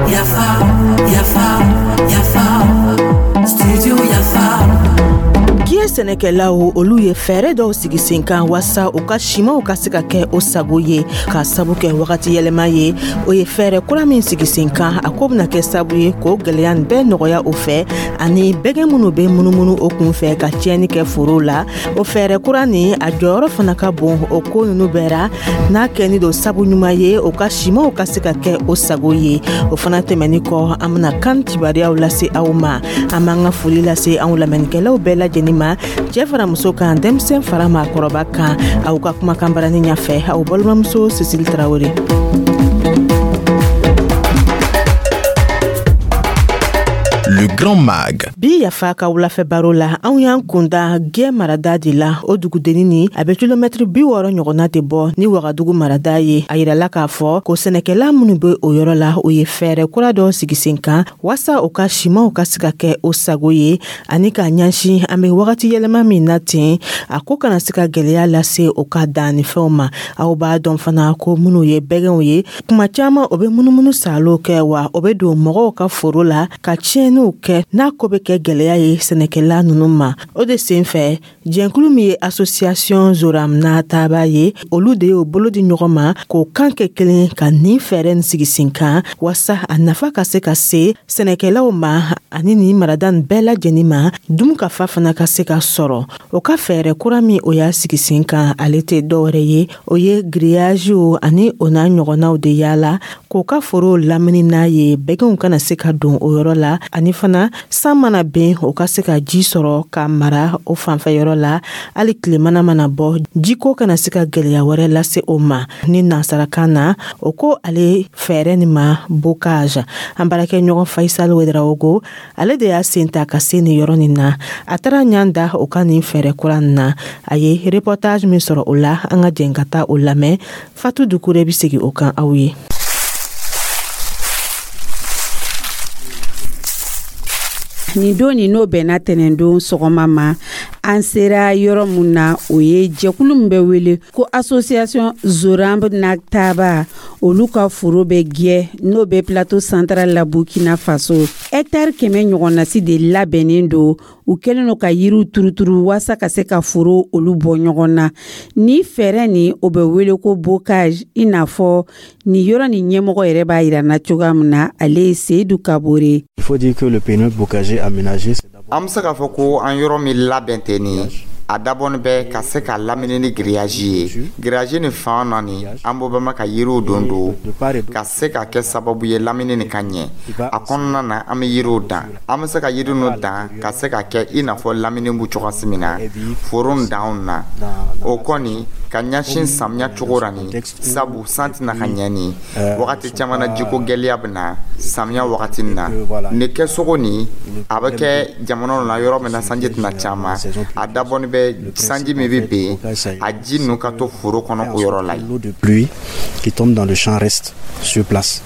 Yafa, yafa, yafa, studio Yafa. Diɲɛ sɛnɛkɛlaw, olu ye fɛɛrɛ dɔw sigi sen kan waasa u ka simanw ka se ka kɛ o sago ye, k'a sabu kɛ wagati yɛlɛma ye. O ye fɛɛrɛ kura min sigi sen kan, a ko bɛna kɛ sabu ye k'o gwɛlɛya nin bɛɛ nɔgɔya o fɛ, ani bɛgɛn minnu bɛ munumunu o kun fɛ ka tiɲɛni kɛ forow la. O fɛɛrɛ kura nin, a jɔyɔrɔ fana ka bon o ko ninnu bɛɛ ra, n'a kɛni don sabu ɲuman ye o ka simanw ka se ka kɛ o sago ye. O fana tɛmɛni kɔ, an bɛna kan kibaruyaw lase aw ma. An b'an ka foli lase anw lamɛnnikɛlaw bɛɛ lajɛlen ma, cɛɛ fara muso kan, denmisɛn fara maakɔrɔba kan. Aw ka kumakan barani ɲafɛ, aw balimamuso Sisili Tarawele. Le Grand Mag. Bi Yafa ka wulafɛ baro la, anw y'an kunda Gɛ marada de la. O dugudenni ni a bɛ kilomɛtiri 60 ɲɔgɔnna de bɔ ni Wagadugu marada ye. A yirala k'a fɔ ko sɛnɛkɛla minnu bɛ o yɔrɔ la, o ye fɛɛrɛ kura dɔ sigi sen kan waasa o ka simanw ka se ka kɛ o sago ye, ani k'a ɲɛsin an bɛ wagati yɛlɛma min na ten, a ko kana se ka gwɛlɛya lase o ka dannifɛnw ma. Aw b'a dɔn fana ko minnu ye bɛgɛnw ye, kuma caman o bɛ munumunu saalo kɛ, wa o bɛ don mɔgɔw ka foro la ka tiɲɛniw kɛ, n'a ko bɛ kɛ gwɛlɛya ye sɛnɛkɛla ninnu ma. O de sen fɛ, jɛnkulu min ye Association Zoram n'a taaba ye, olu de y'o bolo di ɲɔgɔn ma k'o kan kɛ kelen ka nin fɛɛrɛ nin sigi sen kan, waasa a nafa ka se ka se sɛnɛkɛlaw ma ani nin marada nin bɛɛ lajɛlen ma, dunkafa fana ka se ka sɔrɔ. O ka fɛɛrɛ kura min o y'a sigi sen kan, ale tɛ dɔwɛrɛ ye, o ye giriyaziw ani o n'a ɲɔgɔnnaw de yaala k'o ka forow lamini n'a ye, bɛgɛnw kana se ka don o yɔrɔ la, ani fana san mana ben, o ka se ka ji sɔrɔ ka mara o fanfɛ yɔrɔ la. Hali tilemana mana bɔ, jiko kana se ka gwɛlɛya wɛrɛ lase o ma. Ni nansarakan na, o ko ale fɛɛrɛ nin ma bocage. An baarakɛ ɲɔgɔn Faisal Wedarawogo, ale de y'a sen ta ka se nin yɔrɔ nin na. A taara ɲan da o ka nin fɛɛrɛ kura nin na. A ye reportage min sɔrɔ o la, an ka jɛn ka taa o lamɛn. Fatu Dukure bɛ segin o kan aw ye. Nin don nin, n'o bɛnna tɛnɛndon sɔgɔma ma, an sera yɔrɔ mun na, o ye jɛkulu min bɛ wele ko Association Zoramb Naktaba, olu ka foro bɛ Gɛ, n'o bɛ Plateau Central la, Burkina Faso. Hectare 100 ɲɔgɔnnasi de labɛnnen don. U kɛlen don ka yiriw turuturu waasa ka se ka foro olu bɔ ɲɔgɔn na. Ni fɛɛrɛ nin, o bɛ wele ko bocage. I n'a fɔ nin yɔrɔ nin ɲɛmɔgɔ yɛrɛ b'a yira na cogoya min na, ale ye Seyidu Kabore. Il faut dire que le périmètre bocager aménagé, An bɛ se k'a fɔ ko an yɔrɔ min labɛn tɛ nin ye, a dabɔnin bɛ ka se ka lamini ni grillage ye. Grillage nin fan na nin, an b'o bɛ ma ka yiriw don don ka se ka kɛ sababu ye lamini nin ka ɲɛ. A kɔnɔna na, an bɛ yiriw dan. An bɛ se ka yiri ninnu dan ka se ka kɛ i n'a fɔ lamini b'u cogoya min na foro danw na. O kɔni ka ɲɛsin samiya cogo la nin, sabu san tɛna ka ɲɛ nin wagati caman na, jiko gɛlɛya bɛ na samiya wagati nin na. Nin kɛcogo nin, a bɛ kɛ jamanaw na yɔrɔ min na sanji tɛna caman. A dabɔnin bɛ sanji min bɛ ben, a ji ninnu ka to foro kɔnɔ o yɔrɔ la. L'eau de pluie qui tombe dans le champ reste sur place.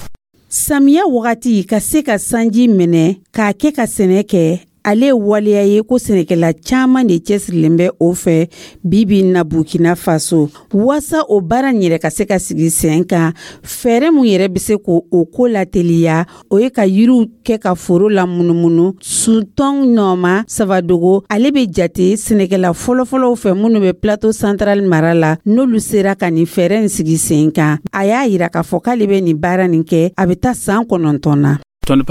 Samiya wagati, ka se ka sanji minɛ k'a kɛ ka sɛnɛ kɛ, ale ye waleya ye ko sɛnɛkɛla caman de cɛsirilen bɛ o fɛ bi bi na Burkina Faso. Waasa o baara nin yɛrɛ ka se ka sigi sen kan, fɛɛrɛ mun yɛrɛ bɛ se k'o o ko lateliya, o ye ka yiriw kɛ ka foro la munumunu. Suntɔn Nɔma Savadogo, ale bɛ jate sɛnɛkɛla fɔlɔfɔlɔw fɛ minnu bɛ Plateau Central mara la, n'olu sera ka nin fɛɛrɛ nin sigi sen kan. A y'a yira k'a fɔ k'ale bɛ nin baara nin kɛ, a bɛ taa san 9 na. An kɔni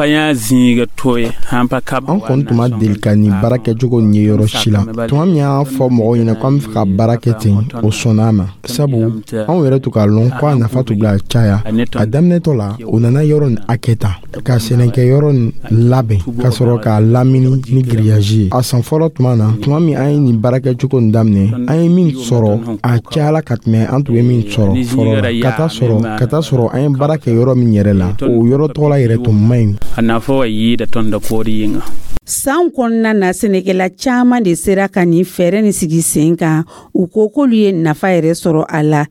tun ma deli ka nin baara kɛcogo nin ye yɔrɔ si la. Tuma min y'an fɔ mɔgɔw ɲɛna ko an bɛ fɛ ka baara kɛ ten, o sɔnna a ma, sabu anw yɛrɛ tun k'a lɔn ko a nafa tun bila caya. A daminɛtɔ la, o nana yɔrɔ nin hakɛ ta ka sɛnɛkɛ yɔrɔ nin labɛn ka sɔrɔ k'a lamini ni grillage ye. A san fɔlɔ tuma na, tuma min an ye nin baara kɛcogo nin daminɛ, an ye min sɔrɔ, a cayala ka tɛmɛ an tun bɛ min sɔrɔ fɔlɔ la. Ka taa sɔrɔ an ye baara kɛ yɔrɔ min yɛrɛ la, o yɔrɔ tɔgɔla yɛrɛ tun man ɲi. San kɔnɔna na, sɛnɛkɛla caman de sera ka nin fɛɛrɛ nin sigi sen kan. U ko k'olu ye nafa yɛrɛ sɔrɔ a la.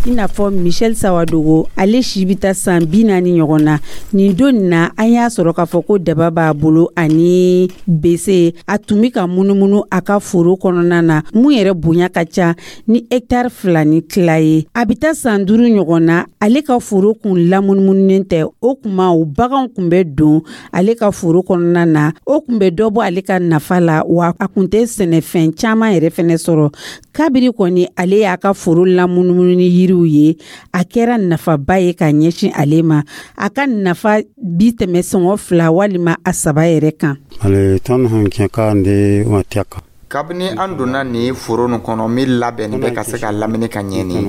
I n'a fɔ Michel Sawadogo, ale si bɛ taa san 40 ɲɔgɔn na. Nin don nin na, an y'a sɔrɔ k'a fɔ ko daba b'a bolo ani bese. A tun bɛ ka munumunu a ka foro kɔnɔna na, mun yɛrɛ bonya ka ca ni hɛkitari 2 ni tila ye. A bɛ taa san 5 ɲɔgɔn na, ale ka foro kun lamunumununen tɛ. O kuma, o baganw kun bɛ don ale ka foro kɔnɔna na, o kun bɛ dɔ bɔ ale ka nafa la, wa a kun tɛ sɛnɛfɛn caman yɛrɛ fɛnɛ sɔrɔ. Kabiri kɔni ale y'a ka foro lamunumunu ni yiriw ye, a kɛra nafaba ye ka ɲɛsin ale ma. A ka nafa bi tɛmɛ sɔngɔ 2 walima a 3 yɛrɛ kan. Kabini an donna nin foro nin kɔnɔ min labɛnni bɛ ka se ka lamini ka ɲɛ, nin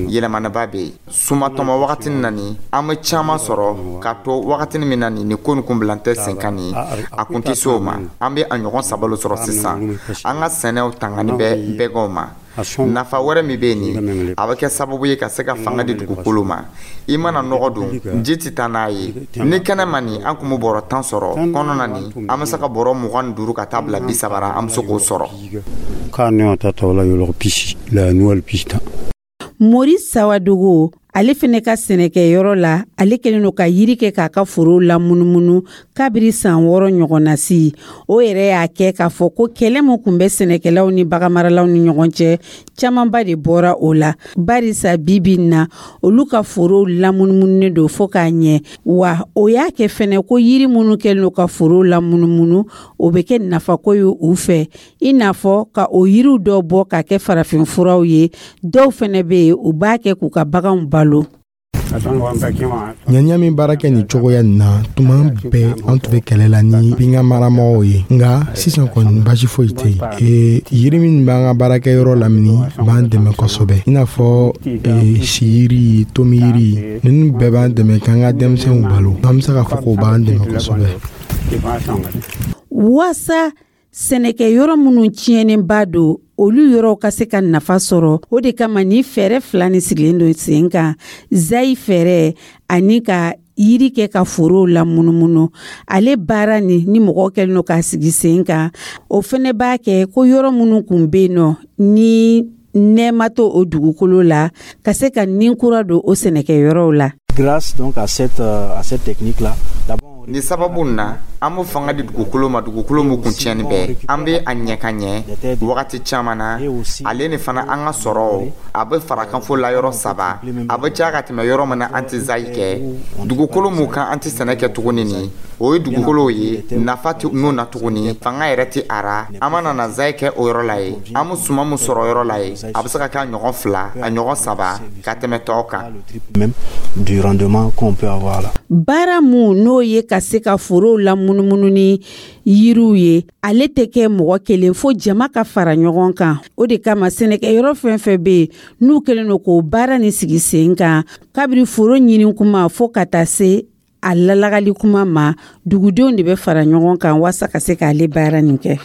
yɛlɛmanaba bɛ yen. Sumatɔmɔ wagati na nin, an bɛ caman sɔrɔ ka to wagati min na nin ko nin kun bilan tɛ sen kan nin, a kun tɛ se o ma. An bɛ a ɲɔgɔn 3 sɔrɔ sisan. An ka sɛnɛw tangani bɛ bɛgɛw ma. Nafa wɛrɛ min bɛ yen nin, a bɛ kɛ sababu ye ka se ka fanga di dugukolo ma. I mana nɔgɔ don, ji tɛ taa n'a ye. Ni kɛnɛ ma nin, an kun bɛ bɔrɔ 10 sɔrɔ kɔnɔ na nin, an bɛ se ka bɔrɔ 25 ka taa bila 30 ra, an bɛ se k'o sɔrɔ. Maurice Sawadogo, ale fɛnɛ ka sɛnɛkɛyɔrɔ la, ale kɛlen don ka yiri kɛ k'a ka foro lamunumunu kabiri san 6 ɲɔgɔn na si. O yɛrɛ y'a kɛ k'a fɔ ko kɛlɛ min kun bɛ sɛnɛkɛlaw ni baganmaralaw ni ɲɔgɔn cɛ, camanba de bɔra o la, barisa bi bi in na, olu ka forow lamunumununen don fo k'a ɲɛ. Wa o y'a kɛ fɛnɛ ko yiri minnu kɛlen don ka forow lamunumunu, o bɛ kɛ nafako ye u fɛ, i n'a fɔ ka o yiriw dɔw bɔ ka kɛ farafinfuraw ye. Dɔw fɛnɛ bɛ yen, u b'a kɛ k'u ka baganw balo. Ɲaniya min baara kɛ nin cogoya nin na, tuma bɛɛ an tun bɛ kɛlɛ la ni binkan maramɔgɔw ye, nka sisan kɔni basi foyi tɛ yen. Yiri min b'an ka baarakɛyɔrɔ lamini b'an dɛmɛ kosɛbɛ, i n'a fɔ siyiri, tomiyiri, ninnu bɛɛ b'an dɛmɛ k'an ka denmisɛnw balo. An bɛ se k'a fɔ k'o b'an dɛmɛ kosɛbɛ. Waasa sɛnɛkɛyɔrɔ minnu tiɲɛnenba don, olu yɔrɔw ka se ka nafa sɔrɔ, o de kama ni fɛɛrɛ 2 ni sigilen don sen kan: zayi fɛɛrɛ ani ka yiri kɛ ka forow lamunumunu. Ale baara ni mɔgɔ kɛlen don k'a sigi sen kan, o fɛnɛ b'a kɛ ko yɔrɔ minnu kun bɛ yen nɔ ni nɛɛma to o dugukolo la, ka se ka nin kura don o sɛnɛkɛyɔrɔw la. Grâce donc à cette technique là, Ni sababu na, an bɛ fanga di dugukolo ma, dugukolo min kun tiɲɛni bɛɛ. An bɛ a ɲɛ ka ɲɛ wagati caman na. Ale ni fana, an ka sɔrɔ a bɛ farakanfo la yɔrɔ 3, a bɛ caya ka tɛmɛ yɔrɔ min na an tɛ zayi kɛ. Dugukolo mun kan an tɛ sɛnɛ kɛ tuguni nin, o ye dugukolow ye nafa tɛ mun na tuguni, fanga yɛrɛ tɛ a ra. An mana na zayi kɛ o yɔrɔ la ye, an bɛ suman min sɔrɔ yɔrɔ la ye, a bɛ se ka kɛ a ɲɔgɔn 2, a ɲɔgɔn 3 ka tɛmɛ tɔw kan. Du rendement qu'on peut avoir là. Baara mun n'o ye ka se ka forow lamunumunu ni yiriw ye, ale tɛ kɛ mɔgɔ kelen, fo jama ka fara ɲɔgɔn kan. O de kama sɛnɛkɛyɔrɔ fɛn fɛn bɛ yen n'u kɛlen don k'o baara ni sigi sen kan, kabiri foro ɲini kuma fo ka taa se a lalagali kuma ma, dugudenw de bɛ fara ɲɔgɔn kan waasa ka se k'ale baara nin kɛ.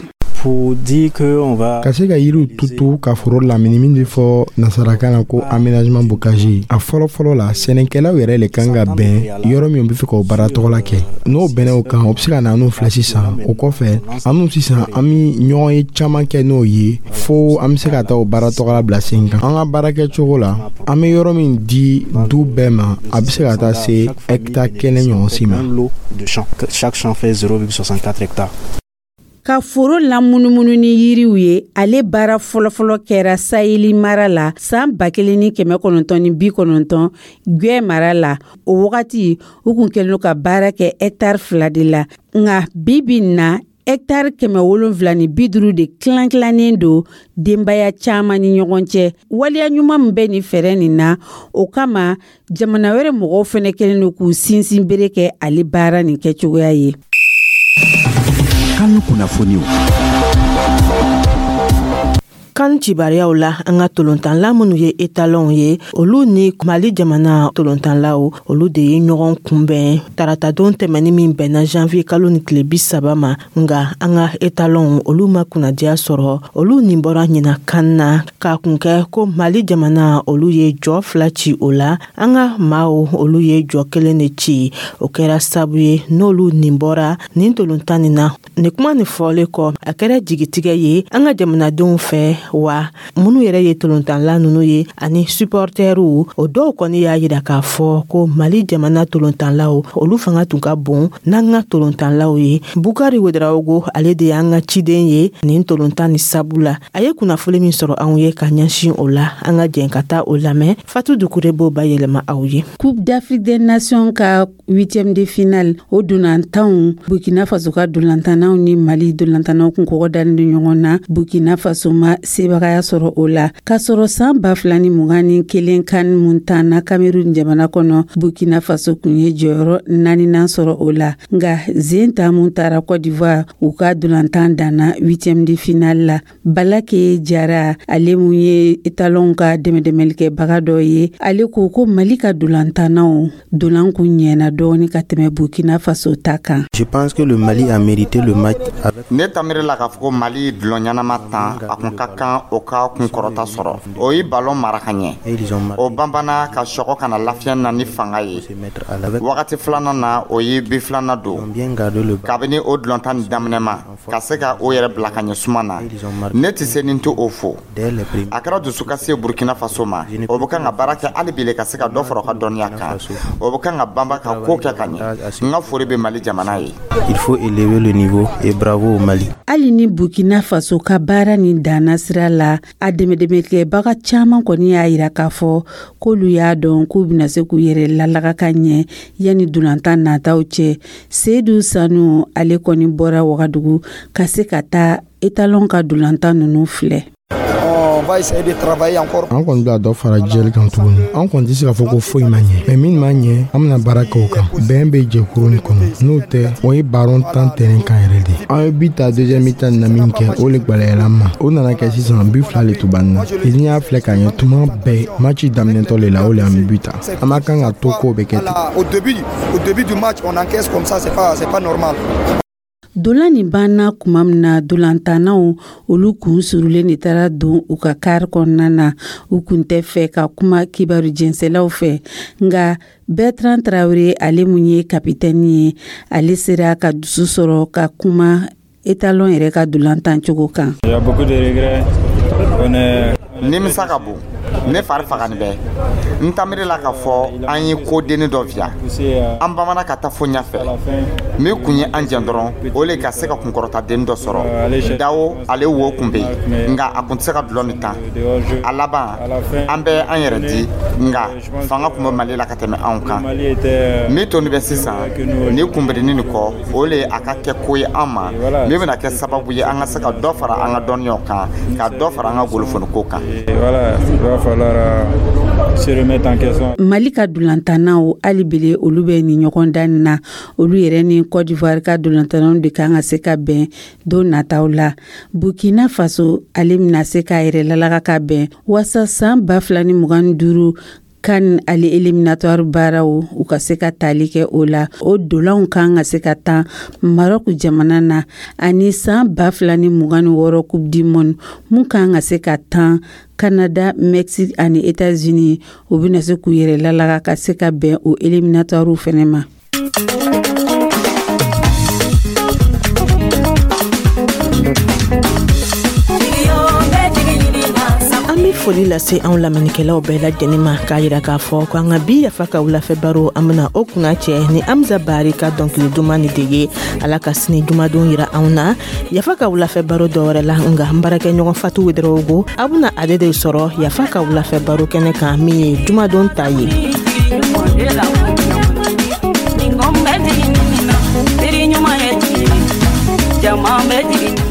Ka se ka yiriw tutu ka foro lamini, min bɛ fɔ nasarakan na ko aménagement bocager, a fɔlɔ fɔlɔ la, sɛnɛkɛlaw yɛrɛ le kan ka bɛn yɔrɔ min bɛ fɛ k'o baara tɔgɔla kɛ. N'o bɛnna o kan, o bɛ se ka na n'o filɛ sisan. O kɔfɛ, an n'u sisan, an bɛ ɲɔgɔn ye caman kɛ n'o ye, fo an bɛ se ka taa o baara tɔgɔla bila sen kan. An ka baara kɛcogo la, an bɛ yɔrɔ min di du bɛɛ ma, a bɛ se ka taa se hɛkitari 1 ɲɔgɔn si ma. Chaque champ fait 0,64 hectares. Ka foro lamunumunu ni yiriw ye, ale baara fɔlɔfɔlɔ kɛra Saheli mara la san 1990, Gwɛ mara la. O wagati, u kun kɛlen don ka baara kɛ hɛkitari 2 de la, nka bi bi in na, hɛkitari 750 de tilan tilannen don denbaya caman ni ɲɔgɔn cɛ. Waleya ɲuman min bɛ nin fɛɛrɛ nin na, o kama jamana wɛrɛ mɔgɔw fɛnɛ kɛlen don k'u sinsin bere kɛ ale baara nin kɛcogoya ye. Kan kunnafoniw. Kan cibariyaw la, an ka tolontanla minnu ye etalɔnw ye, olu ni Mali jamana tolontanlaw, olu de ye ɲɔgɔn kunbɛn taratadon tɛmɛni min bɛnna janvier kalo ni tile 30 ma. Nga an ka etalɔnw, olu ma kunnadiya sɔrɔ. Olu nin bɔra ɲina kan na k'a kun kɛ ko Mali jamana, olu ye jɔ 2 ci o la. An ka maaw, olu ye jɔ 1 de ci. O kɛra sabu ye n'olu nin bɔra nin tolontan nin na. Nin kuma nin fɔlen kɔ, a kɛra jigitigɛ ye an ka jamanadenw fɛ. Wa minnu yɛrɛ ye tolontanla ninnu ye ani supportɛriw, o dɔw kɔni y'a yira k'a fɔ ko Mali jamana tolontanlaw, olu fanga tun ka bon n'an ka tolontanlaw ye. Bukari Wedarawogo, ale de y'an ka ciden ye nin tolontan ni sabu la, a ye kunnafoli min sɔrɔ anw ye ka ɲɛsin o la, an ka jɛn ka taa o lamɛn. Fatu Dukure b'o bayɛlɛma aw ye. Coupe d'Afrique des Nations ka huitième de finale, o dolantanw, Burkina Faso ka dolantannaw ni Mali dolantannaw kun kɔgɔ dalen don ɲɔgɔn na. Burkina Faso ma sebagaya sɔrɔ o la, k'a sɔrɔ san 2021 CAN mun tanna Cameroun jamana kɔnɔ, Burkina Faso kun ye jɔyɔrɔ naaninan sɔrɔ o la. Nka zen ta mun taara Côte d'Ivoire, u ka dolantan danna huitième de finale la. Balake Jara, ale mun ye Étalon ka dɛmɛdɛmɛlikɛbaga dɔ ye, ale ko ko Mali ka dolantannaw dolan kun ɲɛna dɔɔni ka tɛmɛ Burkina Faso ta kan. Je pense que le Mali a mérité le match avec Ne tamiri la k'a fɔ ko Mali dulɔ ɲɛnama tan, a kun ka kan o ka kunkɔrɔta sɔrɔ. O ye balon mara ka ɲɛ, o banbana ka sɔgɔ ka na lafiya na ni fanga ye. Wagati filanan na, o ye bi filanan don. Kabini o dulɔntan ni daminɛ ma ka se ka o yɛrɛ bila ka ɲɛ suma na, ne tɛ se nin tɛ o fo. A kɛra dusukasi ye Burkina Faso ma. O bɛ kan ka baara kɛ hali bi ka se ka dɔ fara o ka dɔnniya kan. O bɛ kan ka banba ka ko kɛ ka ɲɛ. N ka foli bɛ Mali jamana ye. Il faut élever le niveau et bravo au Mali. Hali ni Burkina Faso ka baara nin danna sira la, a dɛmɛdɛmɛkɛbaga caman kɔni y'a yira k'a fɔ k'olu y'a dɔn k'u bɛna se k'u yɛrɛ lalaga ka ɲɛ yanni dolantan nataw cɛ. Seyidu Sanu, ale kɔni bɔra Wagadugu ka se ka taa Étalon ka dolantan ninnu filɛ. An kɔni bɛna dɔ fara jɛli kan tuguni. An kɔni tɛ se k'a fɔ ko foyi ma ɲɛ, mɛ min ma ɲɛ, an bɛna baara kɛ o kan. Bɛn bɛ jɛkuru nin kɔnɔ, n'o tɛ, o ye balon tan terrain kan yɛrɛ de. An ye bi ta deuxième mi-temps na min kɛ, o le gwɛlɛyara an ma. O nana kɛ sisan bi fila le tun b'an na. N'i y'a filɛ ka ɲɛ, tuma bɛɛ match daminɛtɔ le la, o le an bɛ bi ta. An ma kan ka to k'o bɛ kɛ ten. Au début du match, on encaisse comme ça, c'est pas normal. Dolan nin banna kuma min na, dolantannaw olu kun surulen de taara don u ka kari kɔnɔna na. U kun tɛ fɛ ka kuma kibaru jɛnsɛlaw fɛ. Nka Bertrand Traoré, ale mun ye kapitɛni ye, ale sera ka dusu sɔrɔ ka kuma Étalon yɛrɛ ka dolantan cogo kan. Nimisa ka bon, ne fari fagani bɛ. N tamiri la k'a fɔ an ye ko denni dɔ fiya, an bamana ka taa fo ɲɛfɛ. Min kun ye an jɛn dɔrɔn, o le ka se ka kunkɔrɔta denni dɔ sɔrɔ. Dawo, ale wo kun bɛ yen, nka a kun tɛ se ka dulɔ nin tan. A laban, an bɛ an yɛrɛ di, nka fanga kun bɛ Mali la ka tɛmɛ anw kan. Min toni bɛ sisan ni kunbirini nin kɔ, o le a ka kɛ ko ye an ma min bɛna kɛ sababu ye an ka se ka dɔ fara an ka dɔnniyaw kan, ka dɔ fara an ka golofoniko kan. Il va falloir se remettre en question. Mali ka dolantannaw, hali bele olu bɛ nin ɲɔgɔn dan nin na. Olu yɛrɛ ni Côte d'Ivoire ka dolantannaw de kan ka se ka bɛn don nataw la. Burkina Faso, ale bɛna se k'a yɛrɛ lalaga ka bɛn waasa san 2025 CAN ale éliminatoire baaraw, u ka se ka tali kɛ o la. O dolanw kan ka se ka tan Maroc jamana na, ani san 2026 Coupe du monde mun kan ka se ka tan Canada, Mexique ani États-Unis, u bɛna se k'u yɛrɛ lalaga ka se ka bɛn o éliminatoire fɛnɛ ma. An bɛ foli lase anw lamɛnnikɛlaw bɛɛ lajɛlen ma, k'a yira k'a fɔ ko an ka bi Yafa ka wulafɛ baro, an bena o kunna cɛ ni Amza Bari ka dɔnkili duman ni de ye. Ala ka sini jumadon yira anw na Yafa ka wulafɛ baro dɔwɛrɛ la. Nga n baarakɛɲɔgɔn Fatu Wedɔrɔwogo, aw bena ale de sɔrɔ Yafa ka wulafɛ baro kɛnɛ kan, min ye jumadon ta ye. Jama bɛ jigin.